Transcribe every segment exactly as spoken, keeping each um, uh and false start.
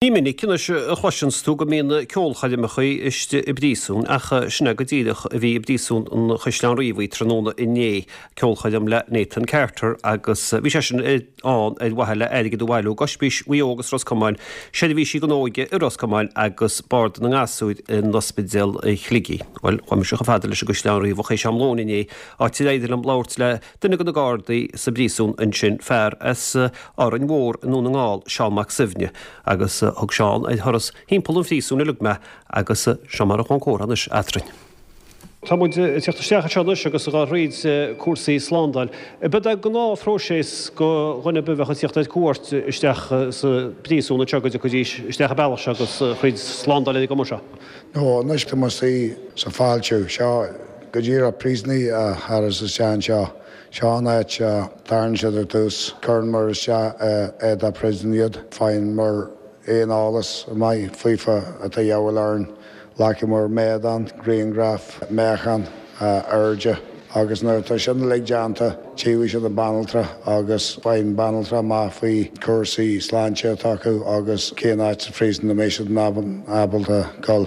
Ní minic anois a chloiseanns tú go mbíonn ceolchoirmeacha istigh i bpríosún ach sin é go díreach a bhí i bpríosún an Chaisleáin Riabhaigh tráthnóna inné, ceolchoirm le Nathan Carter agus bhí sé sin ann ar mhaithe le airgead a bhailiú d'Ospís Mhaigh Eo agus Ros Comáin, seirbhísí don óige i Ros Comáin agus Bord na nGasúr in Ospidéal Shligigh. Bhuel, chuaigh mise chomh fada leis an gCaisleán Riabhach théis am lóin inné, áit ar éirigh liom labhairt le duine de na Gardaí sa bpríosún ansin, fear as Árainn Mhór i nDún na nGall, Seán Mac Suibhne, agus thug Seán ar thuras thimpeall an phríosúin uilig mé agus seo mar a chuaigh an comhrá anois eadrainn. Tá muid ag teacht isteach anseo anois agus ag dul thríd cúrsaí slándáil. Ab é gnáthphróiseas do dhuine ar bith a bheadh ag teacht ar cuairt isteach sa bpríosún anseo go dtiocfaidís isteach an bealach seo agus thríd slándáil ar an gcuma seo? No, anois tá muid istigh sa fáiltiú. Seo go díreach príosúnaigh a tharas isteach anseo. Seo an áit a dtagann siad ar dtús. Cuireann muid isteach éadach príosúin iad. Faigheann muid aon eolas maith faofa atá de dhíobháil orainn. Glacann muid méadán, grianghraf, meáchan, airde agus nuair atá sin uilig déanta, tchífidh siad an banaltra agus faigheann banaltra amach faoi cúrsaí sláinte atá acu agus cén áit sa phríosún a mbeidh siad ábalta dul.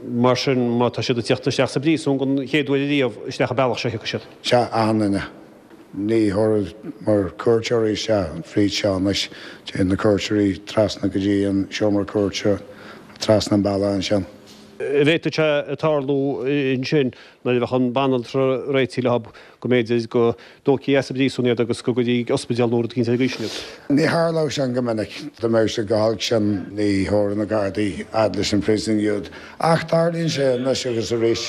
Mar sin, má tá siad ag teacht isteach sa bpríosún don chéad uair ariamh, isteach an bealach seo a thiocfaidh siad. Sea, achan duine. Ní thabharfaidh muid cuairteoirí isteach fríd seo anois. Téann na cuairteoirí trasna go dtí an seomra cuairte trasna an bealach ansin. An bhféadfadh sé tarlú ansin nuair a bheadh an banaltra réitithe leo go mb'fhéidir go dtógfaí as an bpríosún iad agus go gcuirfí ag ospidéal nó rud eicínt ar an gcaoi sin iad. Ní tharlódh sin go minic. Dá mbeadh sé go holc sin ní thabharfadh na Gardaí fhad leis an phríosún iad. Ach tarlaíonn sé anois agus arís.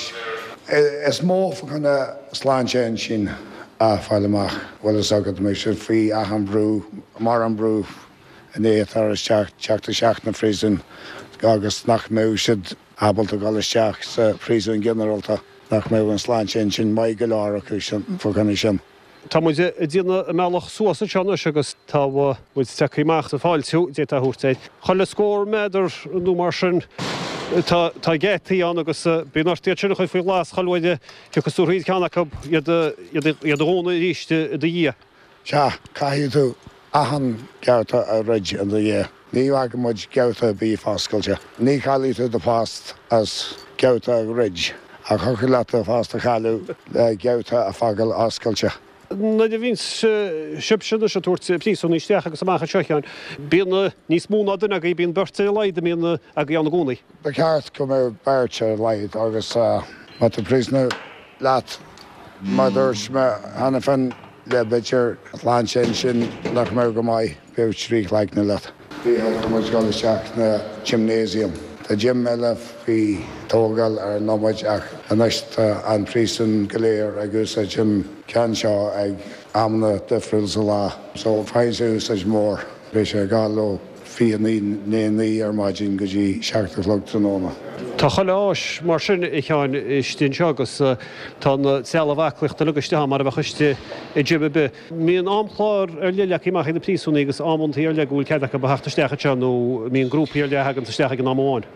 Is mó fá choinne sláinte intinn a fháil amach. Bhfuil fhios agat, mbeidh siad faoi achan bhrú, mar an brú i ndiaidh tar isteach, teacht isteach na phríosún agus nach mbeadh siad ábalta dul isteach sa phríosún ginearálta, nach mbeadh an sláinte intinn maith go leor acu sin, fá choinne sin. Tá muid ag déanamh an mbealach suas anseo anois agus tá muid tagtha amach sa fáiltiú, d'fhéadfá a thabhairt air. Chuile scór méadar nó mar sin tá tá geataí ann agus bíonn ort iad sin a chur faoi ghlas chuile uair a thiocfas tú thríd ceann acu iad iad a dhúnadh arís i do dhiaidh. Sea, caithfidh tú achan geata a dhruid in do dhiaidh. Ní fhágann muid geata ar bith foscailte. Ní chaillfidh tú do phost as geata a dhruid, ach thiocfadh leat do phost a chailleadh le geata a fhágáil oscailte. Nuair a bhíonn sibhse anois ag tabhairt príosúnaigh isteach agus amach anseo, a Sheáin, bíonn níos mó ná duine agaibh, bíonn beirt ar a laghad a mbíonn agaibh ann i gcónaí. Ba cheart go mbeadh beirt ar a laghad agus má tá príosúnach leat, mar a dúirt mé cheana féin, le b'fhéidir sláinte intinn nach mbeadh go maith, bheadh trí chloigne leat. Thiocfadh muid dul isteach sna gymnasium. Tá gym eile faoi tógáil ar an nóiméad ach anois tá an príosún go léir ag úsáid an ceann seo ag amanna difriúil sa lá. So faigheann sé úsáid mhór. Beidh sé ag dul ó fiche naoi i ndiaidh naoi ar maidin go dtí seacht a chlog tráthnóna. Tá chuile áis mar sin, a Sheáin, istigh anseo agus tá an trealamh aclaíochta uilig istigh ann mar a bheadh istigh i gym ar bith. Mbíonn amchlár ar leith leagtha amach ag na príosúnaigh agus amantaí ar leith go bhfuil cead acu a theacht isteach anseo nó mbíonn grúpaí ar leith a thaganns isteach ag an am amháin?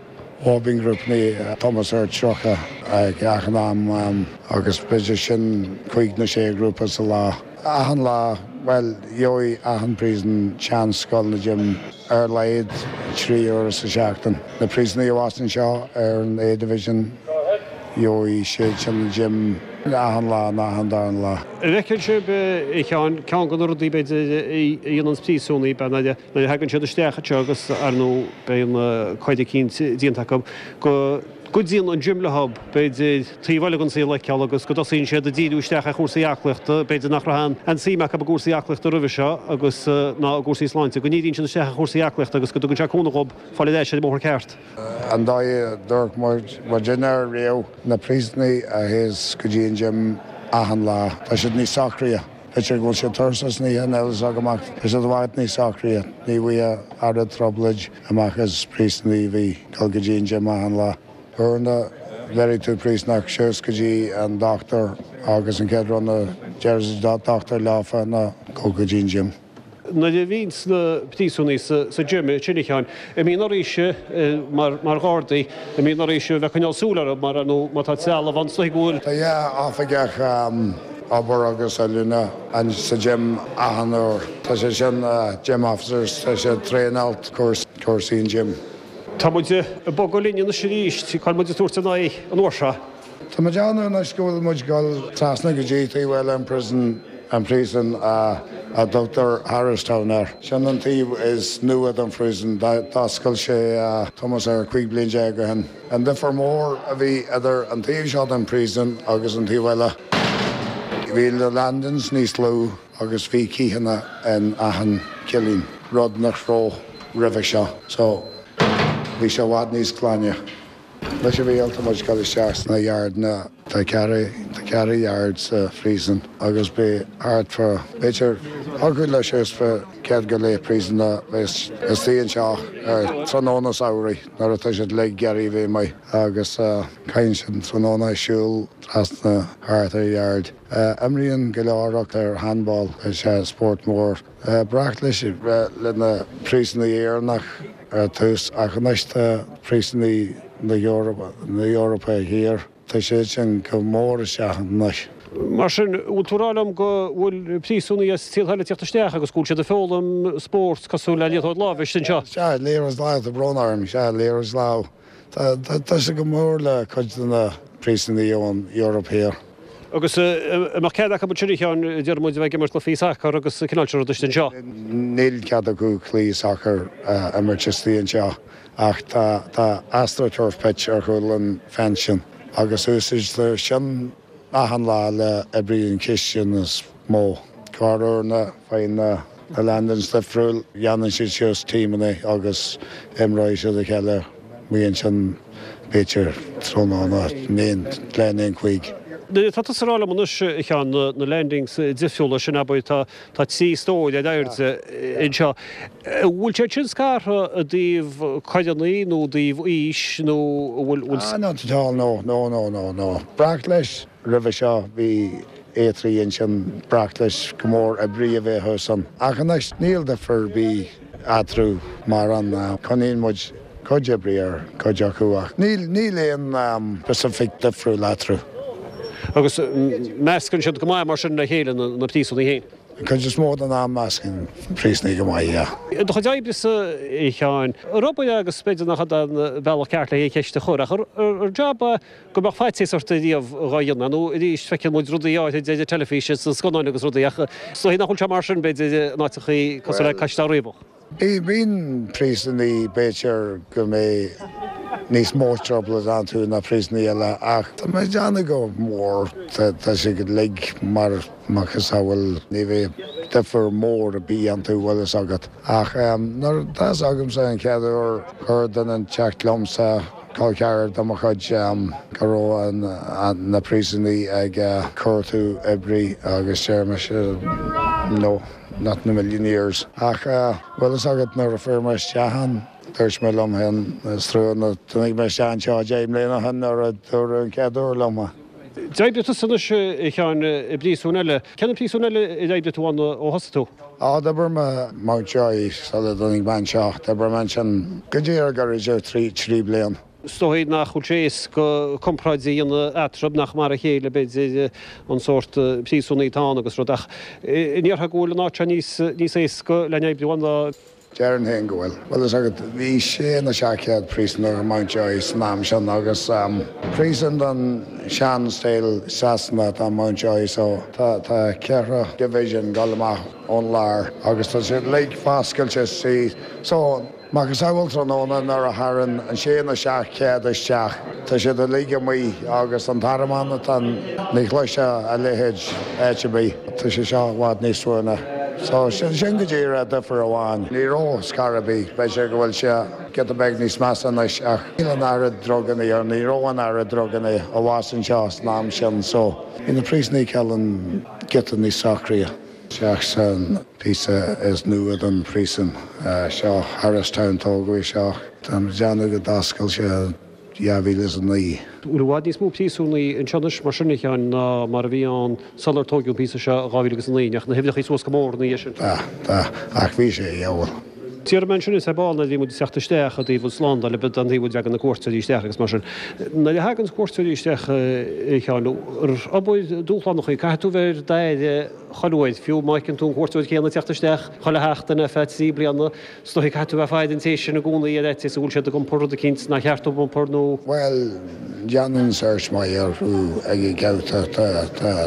Ó, bíonn grúpaí, thomhas ar tríocha ag achan am agus b'fhéidir sin cúig nó sé ghrúpa sa lá. Achan lá, bhuel, gheobhaidh achan príosún seans dul na gym ar a laghad trí uaire sa seachtain. Na príosúnaigh a bheas anseo ar an A Division, gheobhaidh siad sin an gym achan lá nó achan darna lá. An bhfeiceann sibh, a Sheáin, ceann de na rudaí, b'fhéidir, a dhéananns príosúnaigh, b'fhéidir, nuair a thagann siad isteach anseo agus, ar ndóigh, beidh an coir eicínt déanta acu, go gcuidíonn an gym leo, b'fhéidir, taobh eile den saol a fheiceáil agus go dtosaíonn siad ag díriú isteach ar chúrsaí aclaíochta, b'fhéidir nach raibh aon suim acu i gcúrsaí aclaíochta roimhe seo agus ná i gcúrsaí sláinte, go ndíríonn siad isteach ar chúrsaí aclaíochta agus go dtugann sé cúnamh dhób fáil ar ais ar an mbóthar ceart. An dóigh a dúirt muid muidinne riamh, na príosúnaigh a théas go dtí an gym achan lá, tá siad níos socraithe. B'fhéidir go bhfuil siad tuirseach san oíche, níl a fhios agam ach tá siad i bhfad níos socraithe. Ní bhfaighfeá oiread trioblóid amach as príosúnaigh a bhí ag dul go dtí an gym achan lá. Uaireanta bheirfidh tú príosúnach suas go dtí an dochtúir agus an chéad rud a deir an dochtúir leofa ná gabh go dtí an gym. Nuair a bhíonns na príosúnaigh sa gym, sin a Sheáin, an mbíonn oraibhse mar ghardaí, an mbíonn oraibhse a bheith ag coinneáil súil orthu mar ar ndóigh má tá trealamh ann is dóigh go bhfuil. Tá dhá oifigeach obair agus oiliúna sa gym achan uair. Tá sé sin gym officers, tá siad traenáilte cúrsa cúrsaí an gym. Tá muid ag bogadh linn anois arís, cá bhfuil muid ag tabhairt ár n-aghaidh an uair seo? Tá mé ag déanamh anois go bhfuil muid ag dul trasna go dtí taobh eile an prison, an príosún a dtugtar Harristown air. Sin an taobh is nua den phríosún, d'oscail sé thomhas ar cúig bliain déag ó shin. An difear mór a bhí idir an taobh seo den phríosún agus an taobh eile, bhí na landings níos lú agus bhí cícheanna in achan cillín, rud nach raibh roimhe seo. So bhí sé i bhfad níos glaine. Leis an bhfial tá muid ag dul isteach sna yardanna. Tá ceithre tá ceithre yard sa phríosún agus beidh thart fá b'fhéidir thiocfadh leis suas fá céad go leith príosúnach bheith istigh anseo ar tráthnóna samhraidh nuair atá siad uilig ag iarraidh bheith amuigh agus caitheann siad an tráthnóna ag siúl trasna thart ar yard. Imríonn go leor acu ar handball, is é spórt mór. Braic leis le na príosúnaigh Éireannach ar tús ach anois tá príosúnaigh na hEorpa Thiar, tá siad sin go mór isteach anois. Mar sin, bhfuil tú ag rá liom go bhfuil príosúnaigh as tíortha eile ag teacht isteach agus go bhfuil siad ag foghlaim spórt cosúil le liathróid láimhe istigh anseo? Sea, liathróid láimhe, tá brón orm, sea, liathróid láimhe. Tá sé go mór le cuid de na príosúnaigh ón Eoraip Thiar. Agus an mbeadh cead acu ansin, a Sheáin, deir muid, a bheith ag imirt cluichí sacair agus an cineál sin rud istigh anseo? Níl cead acu cluichí sacair a imirt istigh anseo ach tá tá astroturf pitch ar chúl an fence sin agus úsáidtear sin achan lá le oibrí an chistin is mó. Corruair faigheann na na landings difriúil, dhéanann siad suas tímeanna agus imreoidh siad a chéile amuigh ansin b'fhéidir tráthnóna aon leath i ndiaidh a cúig. Tá tusa ag rá liom anois, a Sheáin, na landings difriúla sin, abair, tá tá trí stór ar airde anseo. An bhfuil siad sin scartha i dtaobh coireanna nó i dtaobh aois nó an bhfuil bhfuil. Ah, not at all, no, no, no, no, no. Breac leis roimhe seo bhí oibrí ansin breac leis go mór oibrí a bheith thuas ann. Ach anois níl difear ar bith eatarthu mar an coinníonn muid cuid oibrí ar cuid acu ach níl níl aon specific difriúil eatarthu. Agus meascann siad go maith mar sin le chéile na príosúnaigh féin? An chuid is mó den am meascann príosúnaigh go maith, yeah. Do chuid oibre-sa, a Sheáin, ar obair é agus b'fhéidir nach é an bealach ceart le haon cheist a chur ach ar jab é go mbeadh faitíos ort ariamh dhá dhéanamh nó arís feiceann muid rudaí áirithe ar an teilifís is sna scannáin agus rudaí ach is dóigh nach bhfuil sé mar sin b'fhéidir in áiteachaí cosúil le Caisleán Riabhach. Bíonn príosúnaigh b'fhéidir go mbeidh níos mó trouble iontu ná príosúnaigh eile ach tá mé ag déanamh go mór tá siad uilig mar macasamhail ní bheidh difear mór ar bith iontu bhfuil fhios agat. Ach nuair tá fhios agamsa an chéad uair chuir duine inteacht liomsa col ceathrar de mo chuid go raibh na príosúnaigh ag cuartú oibrí agus deir mise no. Not in a million years. Ach bhfuil fhios agat nuair a fuair mé isteach ann, dúirt mé liom féin, is trua nach dtáinig mé isteach anseo deich mbliana ó shin nuair a dúradh an chéad uair liom é. D'oibrigh tusa anois, a Sheáin, i bpríosún eile. Cén príosún eile ar oibrigh tú ann ó thosaigh tú? Á, d'oibir mé Mountjoy sula dtáinig mé anseo. D'oibir mé ansin go díreach go idir trí, trí bliain. Is dóigh nach bhfuil sé éasca comparáid a dhéanamh eatarthu, nach mar a chéile, b'fhéidir, an sórt príosúnaigh atá ann agus rud, ach an ndéarfá go bhfuil an áit seo níos, níos éasca le n-oibriú ann ná. Déarfainn féin go bhfuil. Bhfuil fhios agat, bhí sé nó seacht chéad príosúnach i Mountjoy san am sin agus príosún den sean-style Sasanach atá i Mountjoy so tá, tá ceithre division ag dul amach ón lár agus tá siad uilig foscailte istigh so, Macasamhail tráthnóna nuair a tharann an sé nó seacht chéad isteach, tá siad uilig amuigh agus an tormán atá ann, ní chloisfeá a leithéid áit ar bith. Tá sé seo i bhfad níos suaimhní. So, sin, sin go díreach difear amháin. Ní raibh scor ar bith. B'fhéidir go bhfuil sé giota beag níos measa anois ach níl an oiread druganna or ní raibh an oiread druganna abhus anseo san am sin so bhí na príosúnaigh cineál giota níos socraithe. Isteach san píosa is nua den phríosún seo, Harristown, tógadh é seo, tá mé ag déanamh go d'oscail sé dhá mhíle is a naoi. Bhfuil i bhfad níos mó príosúnaigh anseo anois mar sin, a Sheáin, ná mar a bhí ann sular tóigeadh an píosa seo i dhá mhíle agus a naoi? Ndeachaigh na huimhreacha suas go mór ina dhiaidh sin? Tá, tá, ach bhí sé, yeah, bhuel, Déarfaidh mé ansin is ar ball nuair a bhí muid ag teacht isteach i dtaobh an slándáil a bheith an taobh a dtagann na cuairteoirí isteach agus mar sin. Nuair a thagann cuairteoirí isteach a Sheáin, ar obair dúshlánach í, caithfidh tú bheith ar d'aire chuile uair, fiú má fheiceann tú an cuairteoir céanna ag teacht isteach chuile sheachtain ar feadh trí bliana, is dóigh caithfidh tú bheith ag faire an té sin i gcónaí ar fhaitíos go bhfuil siad ag iompar rud eicínt nár cheart dóibh iompar nó. Bhuel, déanann search maith orthu ag an gabhta,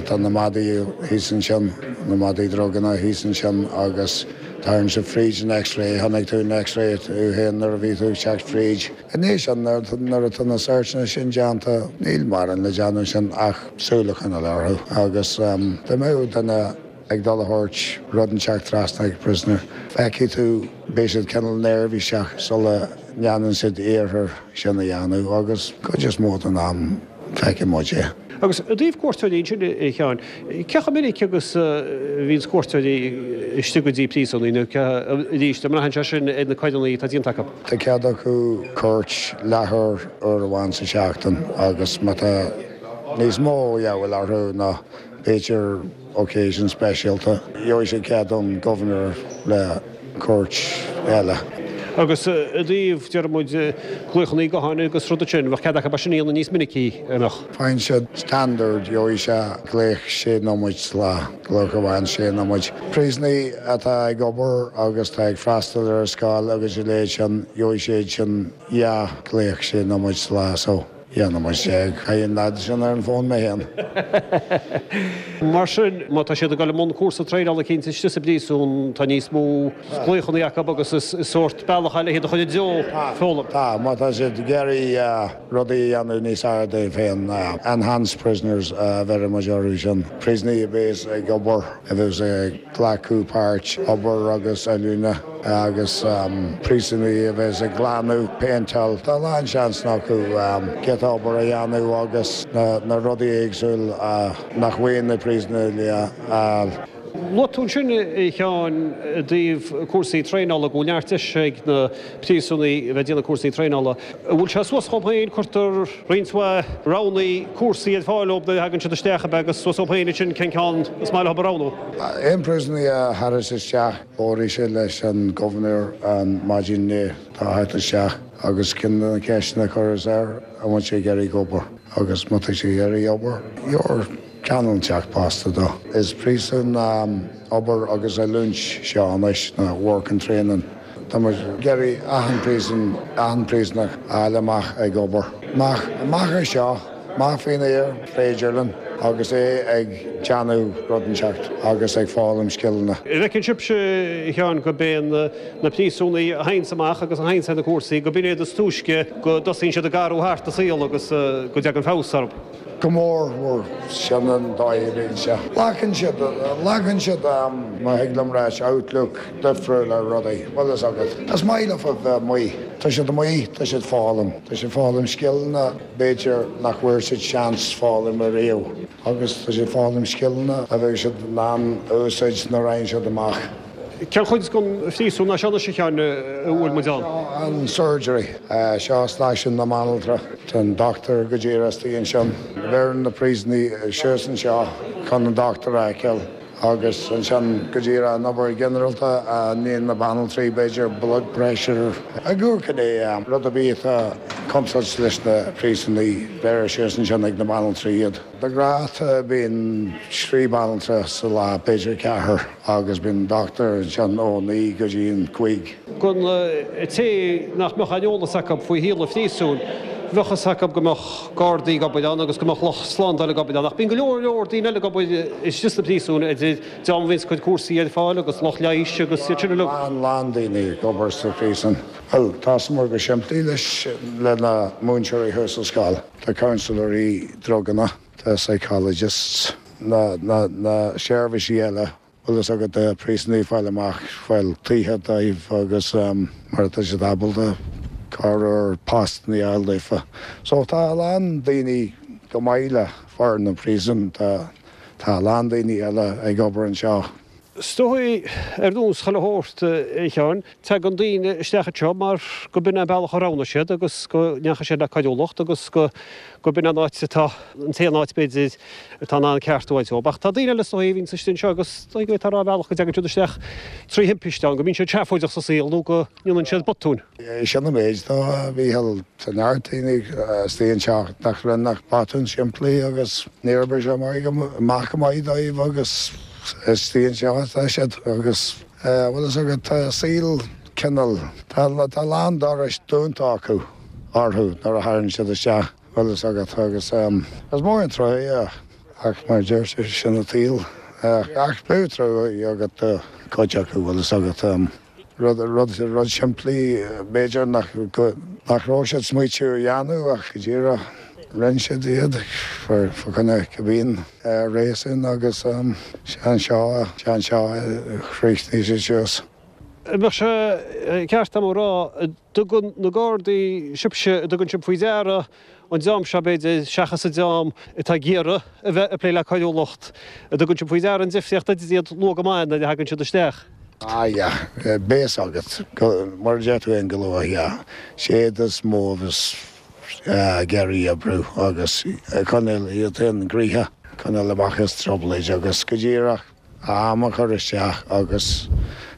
tá na madaí thíos ansin, na madaí druganna thíos ansin agus tagann siad fríd an X-ray, chonaic tú an X-ray tú féin nuair a bhí tú ag teacht fríd. Anois nuair atá na searchanna sin déanta, níl mórán le déanamh ansin ach súil a choinneáil orthu agus dá mbeadh duine ag dul a thabhairt rud inteacht trasna ag prisoner, feicfidh tú beidh siad cineál neirbhíseach sula ndéanann siad iarracht sin a dhéanamh agus cuid is mó den am feicfidh muid é. Agus i dtaobh cuairteoirí ansin, a Sheáin, cé chomh minic agus a bhíonns cuairteoirí istigh go dtí príosúnaigh nó arís, an mbraitheann sé sin ar na coireanna atá déanta acu? Tá cead acu cuairt leathuair uair amháin sa seachtain agus má tá níos mó a dhíobháil orthu ná b'fhéidir occasion speisialta, gheobhaidh siad cead ón Governor le cuairt eile. Agus i dtaobh, deir muid, glaochanna gutháin agus rudaí sin, bheadh cead acu é sin a dhéanamh níos minicí, an mbeadh? Faigheann siad standard, gheobhaidh sé glaoch sé nóiméid sa lá, glaoch amháin sé nóiméid. Príosúnaigh atá ag obair agus tá ag freastal ar an scoil agus a leithéid sin, gheobhaidh siad sin dhá ghlaoch sé nóiméid sa lá so. dhá nóiméad déag. Chaith an leaid sin ar an bhfón mé féin. Mar sin, má tá siad ag dul i mbun cúrsa traenála eicínt istigh sa bpríosún, tá níos mó glaochanna acu agus is sórt bealach eile iad a chur i dtreo foghlaim. Tá, má tá siad ag iarraidh rudaí a dhéanamh níos fearr dóibh féin, enhanced prisoners a bheireann muid orthu sin, príosúnaigh a bheas ag obair, a bheas ag glacadh páirt, obair agus oiliúna agus príosúnaigh a bheas ag glanadh, péinteáil. Tá a lán seansanna acu giota obair a dhéanamh agus na rudaí éagsúil nach bhfaigheann na príosúnaigh a fháil. Luaigh tú ansin, a Sheáin, i dtaobh cúrsaí traenála, go bhfuil neart deis ag na príosúnaigh a bheith ag déanamh cúrsaí traenála. An bhfuil sé suas dhóibh féin, cuirtear roinnt mhaith roghanna cúrsaí ar fáil dóibh nuair a thagann siad isteach, ab ea, agus suas dhóibh féin ansin cén ceann is maith leo a roghnú? Aon príosúnaí a thagas isteach, labhróidh sé leis an Governor an maidin i ndiaidh dó theacht isteach agus ceann de na ceisteanna a chuireas air, an bhfuil sé ag iarraidh obair agus má tá sé ag iarraidh obair, gheobhair ceann inteacht posta dó. Is príosún obair agus oiliúint seo anois, nó work and training. Tá muid ag iarraidh achan príosún, achan príosúnach a fháil amach ag obair. Amach, amach as seo, amach faoin aer, féidir linn, agus é ag déanamh rud inteacht agus ag foghlaim scileanna. An bhfeiceann sibhse, a Sheáin, go b'é na príosúnaigh a théanns amach agus a théanns ar na cúrsaí, go b'in iad is túisce go dtosaíonn siad ag athrú thart a saol agus go dtagann feabhas orthu? Go mór mhór, sin an dóigh a bhíonn sé. Glacann siad, glacann siad, má thig liom ráit, outlook difriúil ar rudaí, bhfuil fhios agat. Is maith leo a bheith amuigh. Tá siad amuigh, tá siad foghlaim. Tá siad foghlaim scileanna b'fhéidir nach bhfuair siad seans foghlaim ariamh. Agus tá siad foghlaim scileanna a bheidh siad in ann a úsáid nuair a fhaigheann siad amach. Cén chuid den phríosún é seo anois, a Sheáin, a bhfuil muid ann? Seo an surgery. Seo stáisiún na mbanaltra. Tá an dochtúir go díreach istigh ansin. Bheireann na príosúnaigh suas anseo chun an dochtúir a fheiceáil agus ansin go díreach an obair ghinearálta a ndéanann na banaltraí, b'fhéidir blood pressure. Ag amharc ar rud ar bith atá contúirt leis na príosúnaigh, bheireann suas ansin ag na banaltraí iad. De ghnáth bíonn trí banaltra sa lá, b'fhéidir ceathair, agus bíonn dochtúir ansin ó naoi go dtí an cúig. Don té nach mbeadh aon eolas acu faoi shaol an phríosúin, bheadh fhios acu go mbeadh gardaí ag obair ann agus go mbeadh lucht slándála ag obair ann, ach bíonn go leor leor daoine eile ag obair istigh sna príosúin, idir dream a bhíonns ag cur cúrsaí ar fáil agus lucht leighis agus iad sin uilig. Lán, lán daoine ag obair sa phríosún. Bhuel, thosaíomar go simplí leis, le na múinteoirí thuas sa scoil. Tá counsellóirí druganna, tá psychologists, na, na, na seirbhísí eile, bhfuil fhios agat, do phríosúnaigh fáil amach, fáil tithe dóibh agus mar atá siad ábalta cabhrú ar postanna a fháil daofa. So tá a lán daoine chomh maith le foireann an phríosúin, tá, tá a lán daoine eile ag obair anseo. Is dóigh ar nós chuile shórt, a Sheáin, tagann daoine isteach anseo mar go b'in an bealach a roghnaigh siad agus go ndeachaigh siad le coiriúlacht agus go go b'in an áit atá, an t-aon áit b'fhéidir atá in ann ceartú a fháilt dóibh. Ach tá daoine eile is dóigh a bhíonns istigh anseo agus is dóigh go bhféadfá a rá ar bhealach go dtagann siad isteach trí thimpiste ann, go mbíonn siad seafóideach sa saol nó go ndéanann siad botúin. Sin an méid dó, a Mhíchíl. Tá neart daoine istigh anseo nach rinne ach botún simplí agus níor oibrigh sé amach go maith dóibh agus istigh anseo atá siad agus bhfuil fhios agat tá saol cineál, tá a lán dorais dúnta acu orthu nuair a thagann siad isteach, bhfuil fhios agat agus is mór an trua é ach mar a deir tú sin an tsaol ach bheadh trua agat do chuid acu bhfuil fhios agat. Rud, rud, rud simplí b'fhéidir nach, nach raibh siad smaoitiú a dhéanamh ach go díreach rinne siad iad fá choinne cibé réasún agus sé anseo, sé anseo a chríochnaigh siad suas. An mbeadh sé ceart agam a rá, an dtugann na Gardaí, sibhse, an dtugann sibh faoi deara an dream seo, b'fhéidir, seachas an dream atá ag iarraidh a bheith ag plé le coiriúlacht, an dtugann sibh faoi deara an difríocht idir iad luath go maith nuair a thagann siad isteach? Ah yeah, beidh fhios agat, mar a deir tú féin go luath, yeah. Siad is mó a bheas ag iarraidh oibriú agus ag coinneáil iad féin gnoitheach, coinneáil amach as trioblóid agus go díreach am a chur isteach agus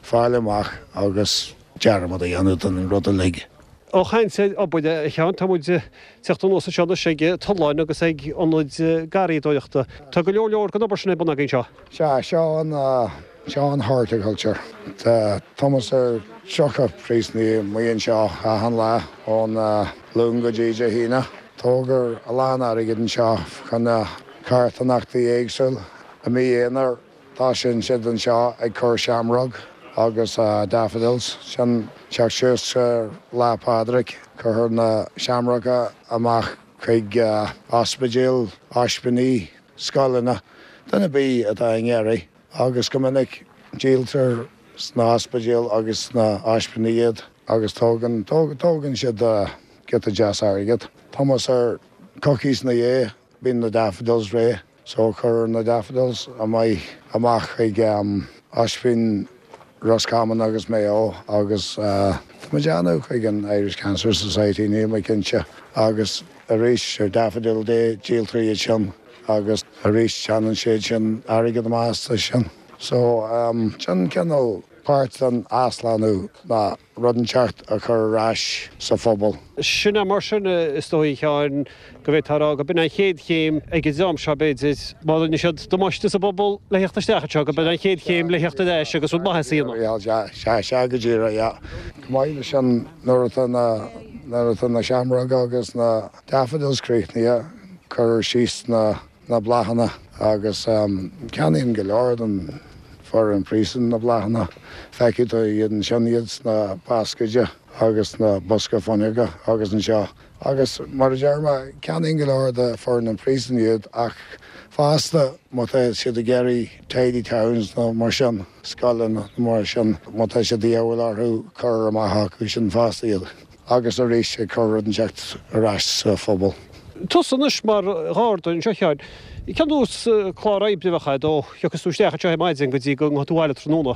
fáil amach agus dearmad a dhéanamh den rud uilig. Ó chaint ar obair, a Sheáin, tá muid ag teacht anuas anseo anois ag tolláin agus ag ionaid garraíodóireachta. Tá go leor leor den obair sin ar bun againn anseo. Sea, seo an. Seo an horticulture. Tá tomhas ar tríocha príosúnaí amuigh anseo achan lá ón Luan go dtí Dé hAoine. Tógtar a lán airgid anseo chun na carthanachtaí éagsúil. I mí Eanáir tosaíonn siad anseo ag cur seamróg agus daffodils. Sin teacht suas ar Lá Pádraig. Cuirtear na seamróga amach chuig ospidéil, ospíní, scoileanna, duine ar bith atá i nGiorraí. Agus go minic díoltar sna hospidéil agus sna hospíní iad agus tógann, tógann siad giota deas airgead. Tomhas ar coicís ina dhiaidh bíonn na daffodils réidh so cuirtear na daffodils amuigh, amach chuig ospín Roscommon agus Maigh Eo agus tá mé ag déanamh chuig an Irish Cancer Society, níl mé cinnte, agus arís ar Daffodil Day díoltar iad sin. Agus arís teannann siad sin airgead amach astu sin. So, sin cineál páirt den athshlánú ná rud inteacht a chur ar ais sa phobal. Sin é mar sin, is dóigh, a Sheáin, go bhféadfá a rá go b'in an chéad chéim ag an dream seo, b'fhéidir, má rinne siad damáiste sa bpobal le theacht isteach anseo, go b'in an chéad chéim le theacht ar ais agus rud maith a dhéanamh. Sea, sea, sea go díreach, yeah. Chomh maith leis sin, nuair atá na, nuair atá na seamróga agus na daffodils críochnaithe, Cuirtear síos na na bláthanna agus ceannaíonn go leor den foireann príosúin na bláthanna. Feicfidh tú iad ansin, iad sna bascaeid agus sna bosca fuinneoige agus anseo. Agus mar a deir mé, ceannaíonn go leor de foireann an phríosúin iad ach fosta má tá siad ag iarraidh tidy towns nó mar sin, scoileanna nó mar sin, má tá sé de dhíobháil orthu, cuirtear amach acu sin fosta iad. Agus arís ag cur rud inteacht ar ais sa phobal. Tusa anois mar gharda anseo, a Sheáin, cén nós clár oibre a bheadh agat ó thiocfas tú isteach anseo ar maidin go dtí go ngabhfaidh tú abhaile tráthnóna?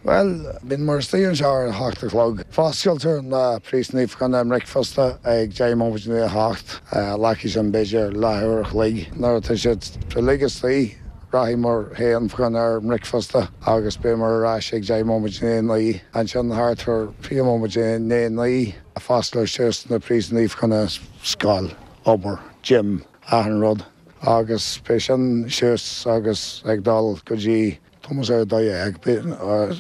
Bhuel, bíonn muid istigh anseo ar a hocht a chlog. Foscailtear na príosúnaí fá choinne a mbricfeasta ag deich móimint i ndiaidh a hocht. Glacfaidh sin b'fhéidir leathuair a chloig. Nuair atá siad uilig istigh, rachaidh muid féin fá choinne ár mbricfeasta agus beidh muid ar ais ag deich móimint i ndiaidh a naoi. Ansin thart ar fiche móimint i ndiaidh a naoi, fosclóidh suas na príosúnaí fá choinne scoil, obair, gym, achan rud agus beidh sin suas agus ag dul go dtí tomhas ar a dó dhéag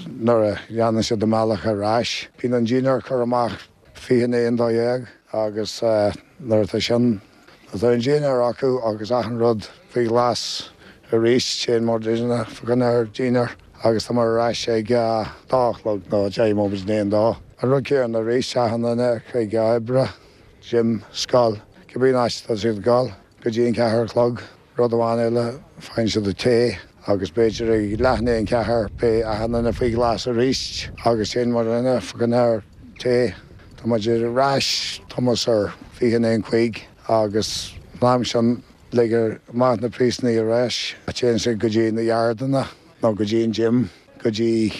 nuair a dhéanann siad a mbealach ar ais. Bíonn an dinnéar curtha amach fiche i ndiaidh a dó dhéag agus nuair atá sin, nuair atá an dinnéar acu agus achan rud faoi ghlas arís, téann muidne fá choinne ár dinnéar agus tá muid ar ais ag a dó a chlog nó deich móimint i ndiaidh a dó. An rud céanna arís, achan duine chuig obair, gym, scoil, cibé áit atá siad ag dul, go dtí an ceathair a chlog. Rud amháin eile, faigheann siad a tae agus b'fhéidir ag leath i ndiaidh an ceathair beidh achan duine faoi ghlas arís agus téann muidne fá choinne ár tae. Tá muid ar ais tomhas ar fiche i ndiaidh an cúig agus an am sin ligtear amach na príosúnaigh ar ais. Téann siad go dtí na yardanna nó go dtí an gym. go dtí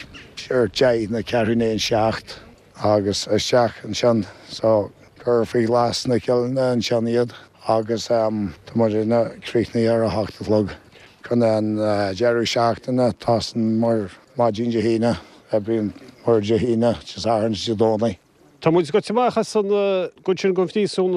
ar deich nó ceathrú i ndiaidh a seacht agus isteach ansin so cur faoi ghlas na ceileanna ansin iad agus tá muid críochnaithe ar a hocht a chlog. Chun an deireadh seachtaine tosaíonn muid maidin Dé hAoine, oibríonn muid Dé hAoine, Dé Sathairn is Dé Domhnaigh. Tá muid gaibhte amach as an gcuid sin den phríosún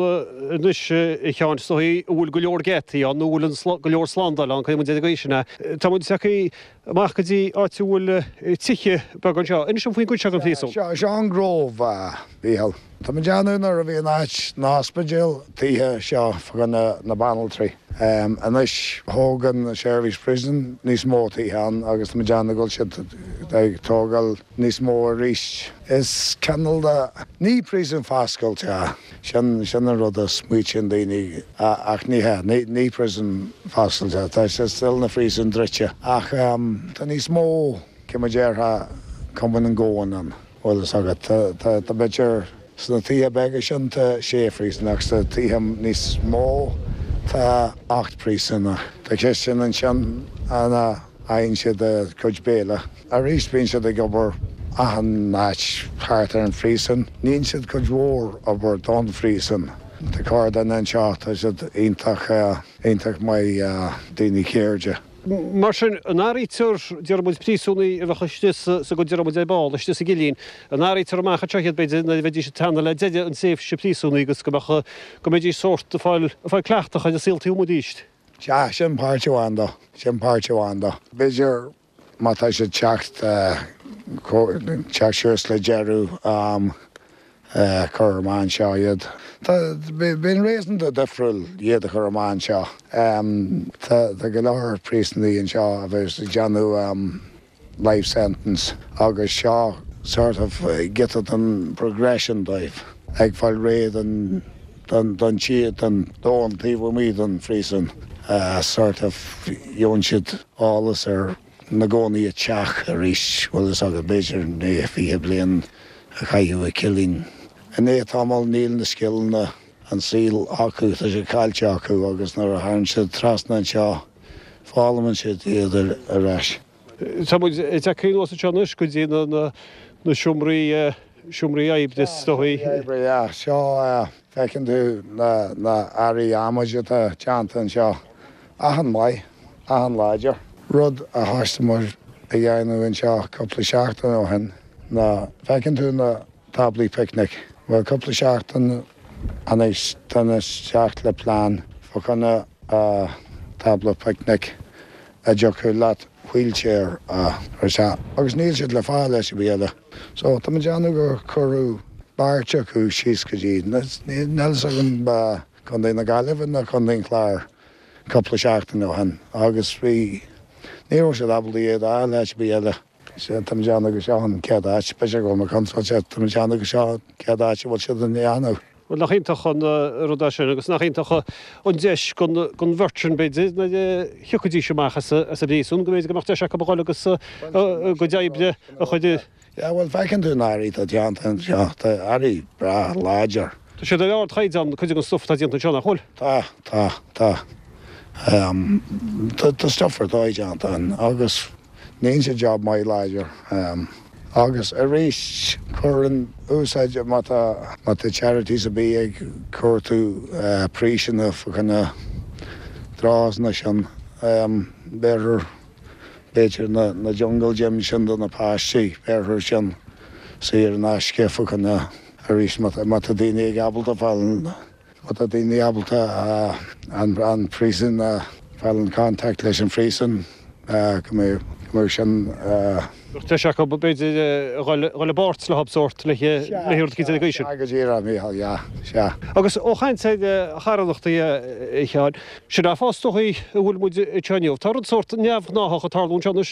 anois a Sheáin is dóigh a bhfuil go leor geataí ann nó a bhfuil go leor slándáil ann, cuirfidh muid ar an gcaoi sin é. Tá muid tagtha amach go dtí áit a bhfuil tithe beaga anseo. Inis dom faoin gcuid seo den phríosún. Seo seo an Grove, a Mhícheáil. Tá muid ag déanamh nuair a bhí an áit an ospidéal tithe seo fá choinne na banaltraí. Anois thóg an Seirbhís Prison níos mó tithe ann agus tá muid ag déanamh go bhfuil siad ag tógáil níos mó arís. Is cineál de, ní príosún foscailte é, sin sin an rud a smaoitíonn daoine ach ní hea, ní ní príosún foscailte, tá sé still ina phríosún druidte ach tá níos mó, cé mar déarfá, coming and going ann, bhfuil fhios agat. Tá tá tá b'fhéidir sna tithe beaga sin tá sé phríosúnach, sna tithe níos mó tá ocht príosúnach. Tá cistin ansin ina fhaigheann siad a gcuid béile. Arís bíonn siad ag obair achan áit thart ar an phríosún. Níonn siad cuid mhór obair don phríosún. Tá corrdhuine anseo, tá siad iontach, iontach maith, daoine ceirde. Mar sin, an áirítear, déarfaidh muid, príosúnaigh a bheadh istigh sa gcuid, déarfaidh muid, ar ball, istigh sa gcillín, an áirítear amach anseo iad, b'fhéidir, nuair a bheidís ag teannadh le deireadh an tréimhse príosúnaigh agus go mbeadh, go mbeidís sórt ag fáil, ag fáil cleachtadh ar an saol taobh amuigh arís? Sea, sin páirt amháin de. Sin páirt amháin de. B'fhéidir má tá siad teacht, teacht suas le deireadh am, cur amach anseo iad. Tá, bíonn réasúnta difriúil iad a chur amach anseo. Tá, tá go leor príosúnaigh anseo a bheas ag déanamh life sentence agus seo sort of giota den progression dóibh, ag fáil réidh don don tír, don domhan taobh amuigh den phríosún, sort of gheobhann siad eolas ar na gcónaí i dteach arís, bhfuil fhios agat, b'fhéidir i ndiaidh fiche bliain a chaitheamh i gcillín. I ndiaidh tamaill níl na scileanna an saoil acu, tá sé caillte acu agus nuair a thagann siad trasna anseo foghlaimíonn siad iad ar ais. Tá muid ag teacht anuas anseo anois go dtí na seomraí, seomraí oibre is dóigh. Seomraí oibre, yeah. Seo, feiceann tú na na earraí adhmaid atá déanta anseo. An-mhaith, an-láidir. Rud a thosaigh muid a dhéanamh anseo cúpla seachtain ó shin ná, feiceann tú na táblaí picnic? Bhuel, cúpla seachtain anois tháinig isteach le plean fá choinne tábla picnic a dtiocfadh leat wheelchair a chur isteach agus níl siad le fáil áit ar bith eile. So tá muid ag déanamh gur cuireadh beirt acu síos go dtí, níl fhios agam Contae na Gaillimhe nó Contae an Chláir cúpla seachtain ó shin agus bhí, ní raibh siad ábalta iad a fháil áit ar bith eile. Sea, tá muid ag déanamh go seo an chéad áit, b'fhéidir go bhfuil mé contráilte, tá muid ag déanamh go seo an chéad áit a bhfuil siad á ndéanamh. Bhuel, nach iontach an rud é sin agus nach iontach an deis don bheirt sin, b'fhéidir, nuair a thiocfaidís amach as an bpríosún, go mb'fhéidir go mbeadh deis acu a dhul agus a gcuid oibre a chur i. Yeah, bhuel, feiceann tú na earraí atá déanta anseo, tá earraí breá láidir. Tá siad ar ardchaighdeán, cuid den stuif atá déanta anseo, nach bhfuil? Tá, tá, tá. Tá stuif ar dóigh déanta ann agus níonn siad job maith láidir. Agus arís, cuireann úsáid, má tá, má tá charities ar bith ag cuartú príosanna fá choinne draws-anna sin, b'fhéidir, b'fhéidir na, na jungle gyms sin do na páistí, b'fhéidir sin saor in aisce fá choinne, arís má tá, má tá daoine ag ábalta fáil, má tá daoine ábalta an, an príosún a fáil in contact leis an phríosún, go mbeidh, go mbeidh sin. Bheadh deis acu, b'fhéidir, a dhul i bpáirt leo sórt le le rud éicint den gcaoi sin. Sea, go díreach, a Mhícheáil, yeah, sea. Agus ó chaint ar charthanachtaí, a Sheáin, sin é an fáth is dóigh a bhfuil muid anseo inniu. Tá rud sórt neamhghnáthach ag tarlú anseo anois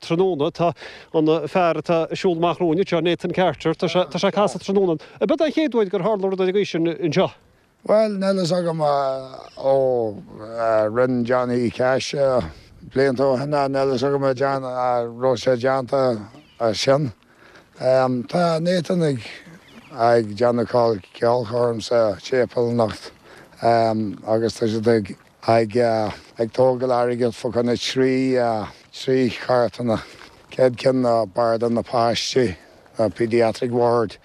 tráthnóna. Tá an fear atá ag siúl amach romhainn anseo, Nathan Carter, tá sé tá sé ag casadh tráthnóna. Ab é an chéad uair gur tharla rud den gcaoi sin anseo? Bhuel, níl fhios agam ó rinne Johnny Cash blianta ó shin, níl fhios agam an raibh sé déanta sin. Tá Nathan ag ag déanamh ceolchoirm sa tséipéal anocht agus tá siad ag ag ag tógáil airgead fá choinne trí trí charthanna. Céad ceann ná Barda na Páistí, Pediatric Ward,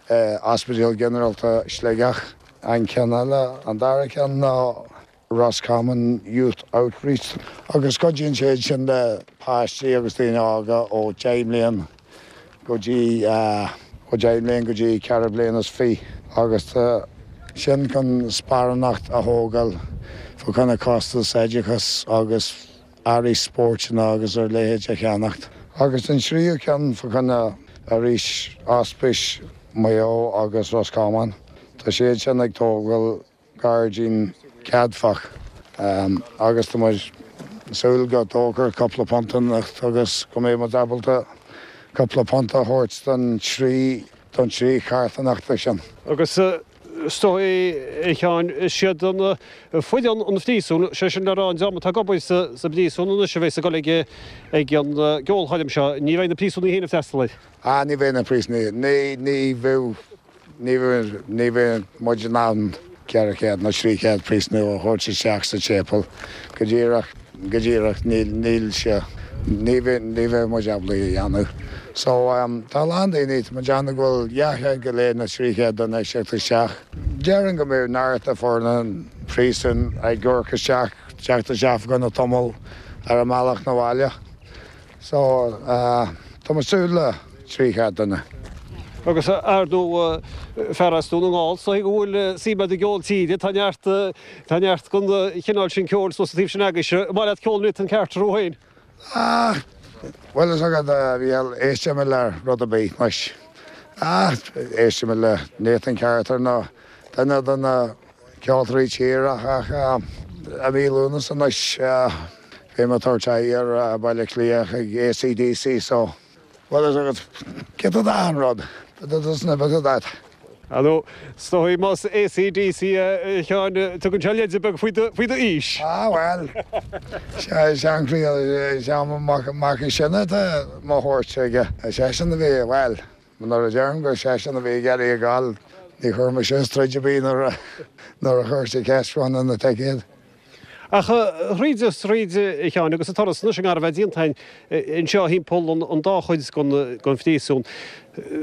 Ospidéal Ginearálta Sligeach. An ceann eile, an dara ceann ná Roscommon Youth Outreach agus cuidíonn siad sin le páistí agus daoine óga ó deich mbliain go dtí ó deich mbliain go dtí ceithre bliana is fiche agus tá sin chun sparánacht a thógáil fá choinne costas oideachas agus earraí spóirteanna agus a leithéid a cheannacht. Agus an tríú ceann fá choinne arís Ospís Maigh Eo agus Roscommon. Tá siad sin ag tógáil gairdín ceadmhach agus tá muid súil go dtógfar cúpla punt anocht agus go mbeidh muid ábalta cúpla punt a thabhairt don trí don trí charthanachta sin. Agus is dóigh, a Sheáin, is iad an foireann an phríosúin, sé sin le rá an dream atá ag obair sa bpríosún anois a bheas ag dul ag ag an gceolchoirm seo, ní bheidh na príosúnaigh féin ag freastal air. Ah, ní bheidh na príosúnaigh, ní, ní bheidh, ní bheidh, ní bheidh muid in ann ceithre chéad nó trí chéad príosúnach a thabhairt isteach sa tséipéal go díreach, go díreach, níl, níl sé, ní bheidh, ní bheidh muid ábalta é a dhéanamh. So, tá a lán daoine, tá muid ag déanamh go bhfuil dhá chéad go leith nó trí chéad duine ag teacht isteach. Déarfainn go mbeidh neart de foireann an phríosúin ag amharc isteach, teacht isteach fá choinne tamall ar a mbealach 'na bhaile. So, tá muid ag súil le trí chéad duine. Agus ar ndóigh, fear as Dún na nGall, is dóigh go bhfuil suim agat i gceol tíre, tá neart, tá neart den chineál sin ceoil suas an taobh sin agaibhse. An maith leat ceol Nathan Carter thú féin? Ah, bhfuil fhios agat, a Mhícheáil, éistim le rud ar bith anois. Ah, éistim le Nathan Carter nó duine de na ceoltóirí tíre ach i mí Lúnasa anois beidh mé ag tabhairt aghaidh ar Baile Átha Cliath chuig AC/DC so bhfuil fhios agat, giota d'achan rud, bit of this and a bit of that. Ar ndóigh, is dóigh más AC/DC a Sheáin, tugann sé leide beag faoi d'aois. Ah bhuel, seanchroí, is é mo mhac is sine atá mo thabhairt aige. Seisean a bhí, bhuel, nuair a deirim gur seisean a bhí ag iarraidh a ghabháil, ní chuir mise troid ar bith nuair a chuir sé ceist fá choinne na ticéad. Ach thríd is thríd, a Sheáin, agus an turas anois i ngar a bheith déanta againn anseo thimpeall an dá chuid den phríosún,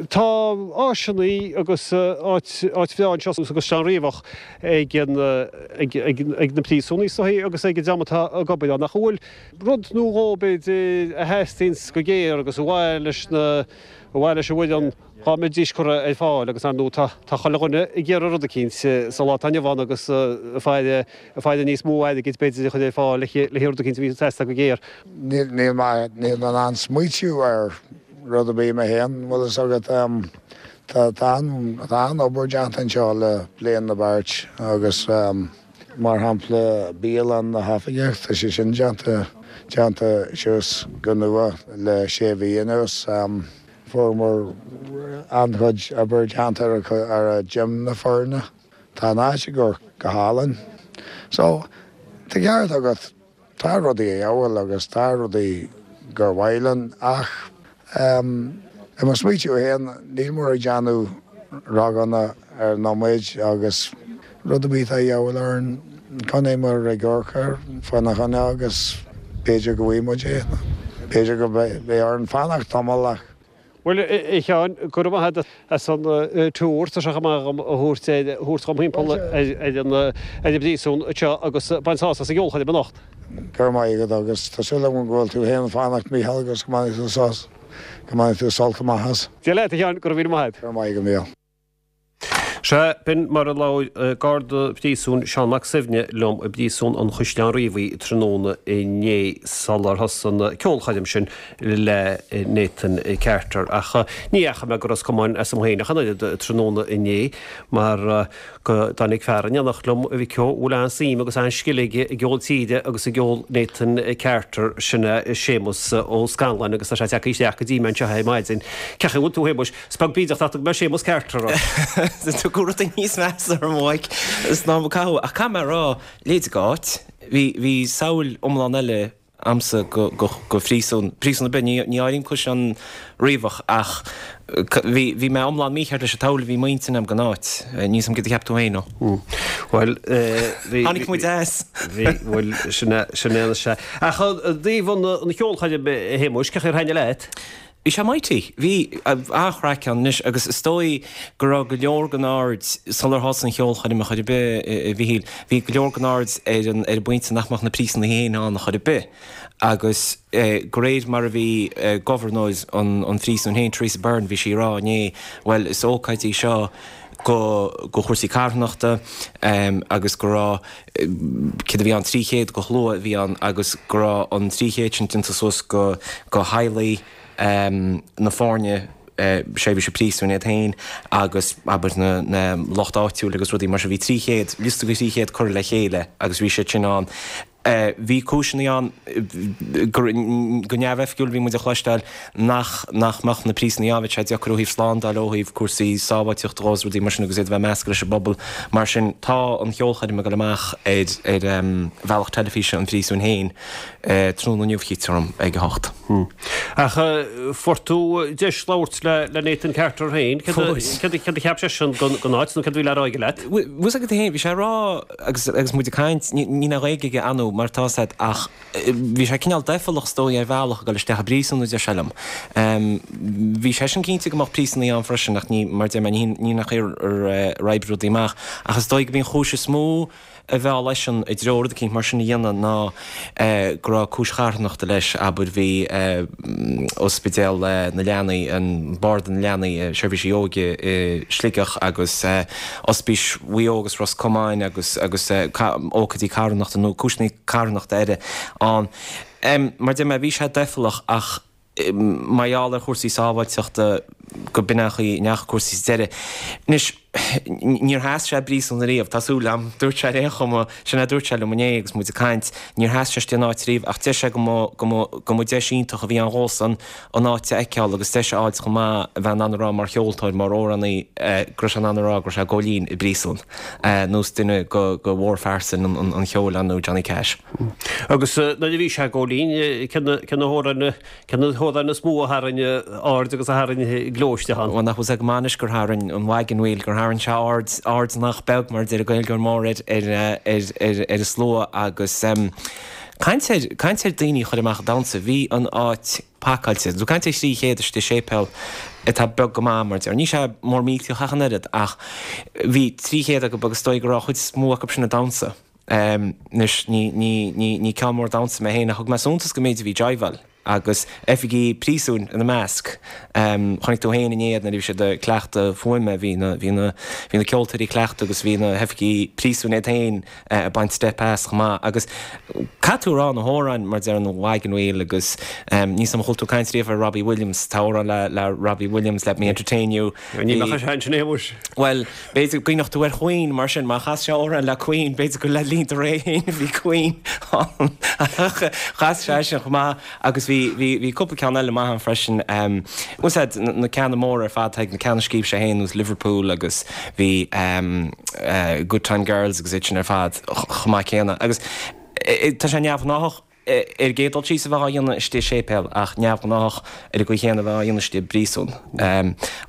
tá áiseanna agus áit áit bhreá anseo sa gCaisleán Riabhach ag ag na príosúnaigh is dóigh agus ag an dream atá ag obair ann. Ach an bhfuil rud nó dhó b'fhéidir a theastaíonns go géar agus ar mhaith leis na ar mhaith leis an bhfoireann dhá mbeidís curtha ar fáil agus ar ndóigh tá tá chuile dhuine ag iarraidh rud eicínt sa lá atá inniu ann agus ag faire ag faire níos mó airgid b'fhéidir a chur ar fáil le le rud eicínt a bhí ag teastáil go géar. Níl níl mé níl mé in ann smaoitiú ar rud ar bith mé féin, bhfuil fhios agat. Tá tá an tá an-obair déanta anseo le bliain nó beirt agus mar shampla bialann na hoifigeach tá sé sin déanta déanta suas go nua le sé mhí anuas. Fuaireamar an-chuid obair déanta ar gym na foirne. Tá an áit ag amharc go hálainn. So, tá ceart agat, tá rudaí a dhíobháil agus tá rudaí gur mhaith linn ach i mo smaoitiú féin níl muid ag déanamh roghanna ar an nóiméad agus rud ar bith atá a dhíobháil orainn coinneoidh muid ag amharc air fána choinne agus b'fhéidir go bhfaighidh muid é. B'fhéidir go mbeidh orainn fanacht tamall ach. Bhuel, a Sheáin, go raibh maith agat as an tour, tá sé chomh maith agam a thabhairt ar, thabhairt dhom thimpeall ar an, ar an bpríosún anseo agus bain sásamh as an gceolchoirm anocht. Go raibh maith agat agus tá súil agam go bhfuil tú féin ag fanacht, Mícheál, agus go mbainfidh tú sos, go mbainfidh tú sult amach as. Dia leat, a Sheáin, go raibh míle maith agat. Go raibh maith agat, Mícheál. Sea, b'in mar a labhair Garda Príosúin Seán Mac Suibhne liom i bPríosún an Chaisleáin Riabhaigh tráthnóna inné sular thosaigh an ceolchoirm sin le Nathan Carter. Ach ní dheachaigh mé go Ros Comáin asam féin ach an oiread tráthnóna inné mar go dtáinig fear in éineacht liom, a mhic ó, a bhfuil an-suim agus an-scil aige i gceol tíre agus i gceol Nathan Carter, sin é Séamus Ó Scanláin agus tá sé tagtha isteach go dtí mé anseo ar maidin. Cén chaoi a bhfuil tú, a Shéamuis? Is beag bídeach nach dtug mé Séamus Carter ort. Tugadh rudaí níos measa orm a mhaidhc is ná mo cathú. Ach caithfidh mé a rá, leithéid d'áit, bhí, bhí samhail iomlán eile a'msa go go go phríosún, príosún ar bith, ní ní áirím Caisleán Riabhach ach bhí bhí mé iomlán mícheart leis an tsamhail a bhí m'intinn a'm den áit. Níl 's a'm céard a cheap tú féin nó? Bhuel, bhí. Tháinig muid as. Bhí, bhuel, sin é, sin é anois é. Ach i dtaobh an an cheolchoirm, a Shéamuis, cén chaoi ar thaitnigh leat? Bhí sé mighty. Bhí an-chraic ann anois agus is dóigh go raibh go leor den aird, sular thosaigh an cheolchoirm ar chor ar bith, a Mhichíl, bhí go leor den aird ar an ar an bpointe nach mbeadh na príosúnaigh féin ann ar chor ar bith agus de réir mar a bhí gobharnóir an an phríosúin féin, Theresa Byrne, bhí sí ag rá inné, bhuel is ócáid í seo go go chúrsaí carthanachta agus go raibh, céard a bhí ann, trí chéad de shlua a bhí ann agus go raibh an trí chéad sin déanta suas go go theaghlaigh na foirne seirbhíse príosúin iad féin agus abair na na lucht áitiúil agus rudaí mar sin. Bhí trí chéad, liosta de thrí chéad curtha le chéile agus bhí siad sin ann. Bhí cúiseanna ann go go neamhoifigiúil bhí muid a chloisteáil nach nach mbeadh na príosúnaigh ann, bheadh sé deacair ó thaobh slándáil ó thaobh cúrsaí sábháilteachta dhó is rudaí mar sin agus iad a bheith measctha leis an bpobal. Mar sin tá an cheolchoirm ag dul amach ar ar bhealach teilifíse an phríosúin féin tráthnóna inniu, chítear dom, ag a hocht. Ach fuair tú deis labhairt le Nathan Carter féin. Céard a cheap seisean den áit nó céard a bhí le rá aige leat? Bhfuil fhios agat féin, bhí sé ag rá agus agus muid ag caint, níl aon Ghaeilge aige ar ndóigh mar atá fhios agat ach bhí sé cineál doicheallach is dóigh ar bhealach ag dul isteach i bpríosún a deir sé liom. Bhí seisean cinnte go mbeadh príosúnaigh ann freisin ach ní, mar a deir mé, ní hin an chaoi ar oibrigh rudaí amach. Ach is dóigh go b'í an chúis is mó a mheall eisean i dtreo rud eicínt mar sin a dhéanamh ná go raibh cúis charthanachta leis, abair, bhí ospidéal na leanaí, an Barda na Leanaí, Seirbhísí Óige i Sligeach agus Ospís Mhaigh Eo agus Ros Comáin agus agus ócáidí carthanachta nó cúiseanna carthanachta eile ann. Mar a deir mé, bhí sé doicheallach ach mar gheall ar chúrsaí sábháilteachta go b'in an chaoi a ndeachaigh cúrsaí sa deireadh. Anois, níor sheas sé i bpríosún ariamh, tá súil agam, dúirt sé ar aon chuma, sin é a dúirt sé liom inné agus muid ag caint, níor sheas sé istigh in áit ariamh ach deir sé go mba, go mba, go mba deis iontach a bhí ann dhósan an áit a fheiceáil agus deis a fháilt chomh maith a bheith in ann a rá mar cheoltóir, mar amhránaí, go raibh sé in ann a rá go raibh sé ag gabháil fhoinn i bpríosún, nós duine go, go mhórphearsain an, an cheoil ar ndóigh, Johnny Cash. Agus nuair a bhí sé ag gabháil fhoinn, cé na, cé na hamhráin, Cé na hamhráin is mó a tharraing aird agus a tharraing gleo isteach ann? Bhuel, nach bhfuil 's agat go maith anois gur tharraing an Wagon Wheel, gur tharraing sé aird, aird nach beag, mar a deir an Gaeilgeoir mór, ar, ar, ar, ar, ar an slua agus caint ar, caint ar daoine a chur amach ag damhsa, bhí an áit pacáilte. Tú ag caint ar thrí chéad istigh i séipéal atá beag go maith, mar a deir. Ní sé mór millteach ach an oiread ach bhí trí chéad acu agus is dóigh go raibh an chuid is mó acu sin ag damhsa. Anois, ní, ní, ní, ní ceann mór damhsa mé féin ach thug mé suntas go méid a bhí ag jiveáil agus oifigigh príosúin ina measc. Chonaic tú féin inné iad nuair a bhí siad ag cleachtadh fuaime, bhí na, bhí na, bhí na ceoltóirí ag cleachtadh agus bhí na hoifigigh príosúin iad féin ag baint steip as chomh maith. Agus caithfidh tú a rá, na hamhráin, mar a deir an Wagon Wheel agus níl 's agam an chuala tú caint riamh ar Robbie Williams, tá amhrán le, le Robbie Williams, Let Me Entertain You. Ní bheadh sé ansin, a Shéamuis. Bhuel, b'fhéidir go gcuimhneodh tú ar Queen mar sin, má chas sé amhrán le Queen, b'fhéidir gur le linn do ré féin a bhí Queen ann. Ach chas sé sin chomh maith agus bhí, bhí, bhí cúpla ceann eile maith ann freisin. Bhfuil 's a'd, na ceanna móra ar fad, na ceanna a scríobh sé féin, nós Liverpool agus bhí Good Time Girls agus iad sin ar fad chomh maith céanna. Agus tá sé neamhghnáthach. Ar an gcéad dul síos a bheith á dhéanamh istigh i séipéal ach neamhghnáthach ar an gcaoi chéanna a bheith á dhéanamh istigh i bpríosún.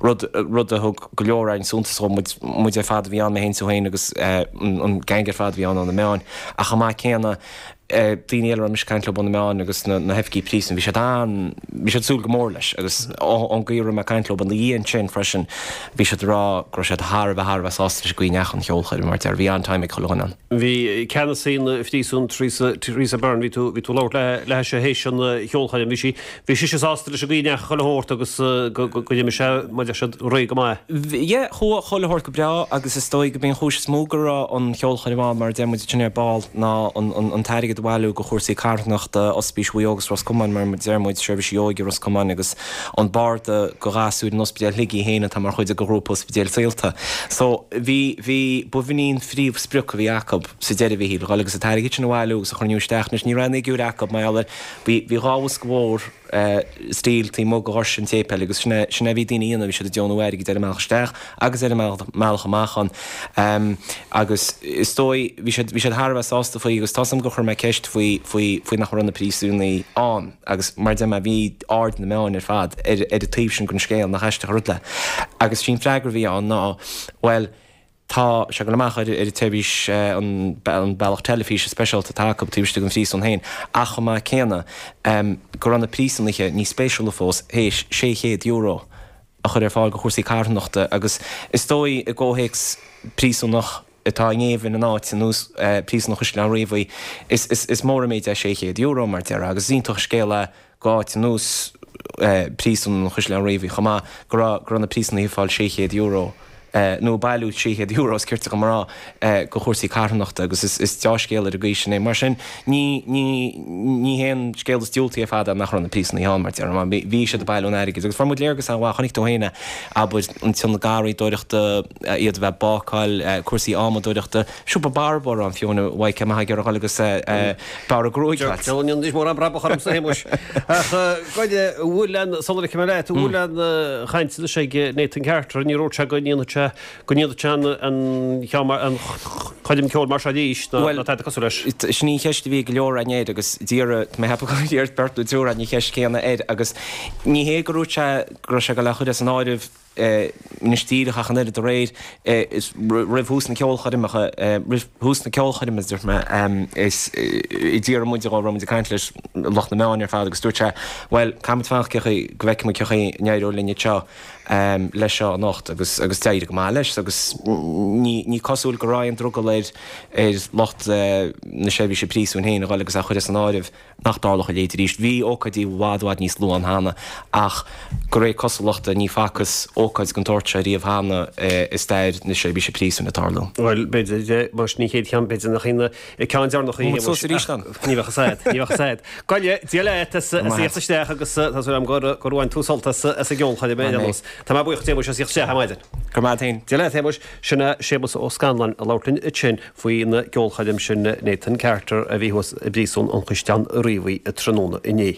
Rud, rud a thug go leor againn suntas dhó, muid, muid ar fad a bhí ann, mé féin is tú féin agus an gang ar fad a bhí ann ó na meáin. Ach chomh maith céanna, daoine eile a raibh mise ag caint leo ó na meáin agus na, na hoifigigh príosúin, bhí siad an, bhí siad ag súil go mór leis agus ón gcaoi a raibh mé ag caint leo ina dhiaidh ansin freisin, bhí siad ag rá go raibh siad thar a bheith, thar a bheith sásta leis an gcaoi a ndeachaigh an cheolchoirm mar a deir, bhí an-time ag chuile dhuine ann. Bhí ceannasaí an phríosúin, Theresa, Theresa Byrne, bhí tú, bhí tú ag labhairt léi théis an cheolchoirm, bhí sí, bhí sise sásta leis an gcaoi a ndeachaigh chuile shórt agus go, go, go d'imigh sé, mar a deir siad, réidh go maith. Yeah, chuaigh chuile shórt go breá agus is dóigh go b'í an chúis is mó go raibh an cheolchoirm ann, mar a deir muid ansin ar ball, ná an, an, an t-airgead a bhailiú do chúrsaí carthanachta Ospís Mhaigh Eo agus Ros Comáin, mar a deir muid, Seirbhísí Óige Ros Comáin agus an Barda do Ghasúir in Ospidéal Shligigh féin atá mar chuid de ghrúpa Ospidéal Saolta. So, bhí, bhí, b'in í an phríomhsprioc a bhí acu sa deireadh, a Mhichíl, a dhul agus an t-airgead sin a bhailiú agus a chruinniú isteach. Anois, ní raibh aon fhigiúir acu mar gheall ar, bhí, bhí dhá bhosca mhór stíl taobh amuigh de dhoirse an tséipéil agus sin é sin é a bhí daoine a dhéanamh, bhí siad ag deonú airgid ar an mbealach isteach agus ar an mbealach amach ann agus is dóigh bhí siad bhí siad thar a bheith sásta faoi agus tá 's agam gur chuir mé ceist faoi faoi faoi nach raibh na príosúnaigh ann agus mar a deir mé bhí aird na meáin ar fad ar ar an taobh sin den scéal nach aisteach an rud é agus sí'n freagra a bhí ann ná bhuel Tá sé ag dul amach ar an tseirbhís, an bealach teilifíse speisialta atá acu taobh istigh den phríosún féin, ach chomh maith céanna, go raibh na príosúnaithe, níos spéisiúla fós, théis sé chéad euro a chur ar fáil do chúrsaí carthanachta agus is dóigh i gcomhthéacs príosúnach atá i ngéibheann in áit ar nós Príosún an Chaisleáin Riabhaigh, is mór an méid é sé chéad euro mar déarfá agus is iontach an scéal é go áit ar nós Príosún an Chaisleáin Riabhaigh chomh maith go raibh go raibh na príosúnaithe ag fáil sé chéad euro. nó ag bailiú trí chéad euro, is cirte dom a rá, do chúrsaí carthanachta agus is deá-scéal ar an gcaoi sin é. Mar sin, ní, ní, ní haon scéal is diúltaí ar fad é nach raibh na príosúnaigh ann, mar déarfá, mar bhí siad ag bailiú an airgid agus fuair muid léargas an-mhaith, chonaic tú féin é, abair, an tionad garraíodóireachta, iad a bheith ag bácáil, cúrsaí adhmadóireachta, siopa barbóra ann fiú, a Mhaidhc, má tá ag iarraidh a dhul agus bearradh gruaige a fháilt. Deabhal an níos mórán brabach ormsa, a Shéamuis. Ach goide, bhfuil aon, sula ligfidh mé leat, bhfuil aon chaint anois ag Nathan Carter, níor dhúirt sé go ndéanfadh sé, go ndéanfadh sé an ceann mar, an choirm ceoil mar seo arís, ná Bhuel, tada cosúil leis. sin í an cheist a bhí ag go leor againn air agus d'iarr, tá mé ag ceapadh gur iarr beirt nó triúr againn an cheist chéanna air agus ní hé gur dhúirt sé go raibh sé ag dul á chur as an áireamh anois díreach ach an oiread aréir is roimh thús na ceolchoirmeacha, roimh thús na ceolchoirme a dúirt mé, is d'iarr muid dhe, raibh muid ag caint leis lucht na meáin ar fad agus dúirt sé, bhuel, caithfidh muid fanacht cé chaoi, go bhfeicfidh muid cé chaoi a n-éireoidh linn anseo leis seo anocht agus agus d'éirigh go maith leis agus ní ní cosúil go raibh aon drogall ar ar lucht na seirbhíse príosúin féin a dhul agus á chur as an áireamh. nach dtarlódh a leithéid arís. Bhí ócáidí i bhfad, i bhfad níos luath ann cheana ach de réir cosúlachta ní facthas ócáid den tsórt seo riamh cheana i stair na seirbhíse príosúin ag tarlú. Bhuel, b'fhéidir, más ní chéad cheann, b'fhéidir nach í an ceann deireanach í, Bhí muid suas arís ann. Ní bheadh a fhios a'd, ní bheadh a fhios a'd. Goile, Dia leat as a thíocht isteach agus tá súil agam gur gur bhain tú sult as as an gceolchoirm ar aon nós. Tá mé buíoch Shéamuis as thíocht isteach ar maidin. Go raibh maith a't féin. Dia leat, Shéamuis. Sin é Séamus Ó Scanláin ag labhairt linn ansin faoin gceolchoirm sin Nathan Carter a bhí thuas i bPríosún an Chaisleáin Riabhaigh tráthnóna inné.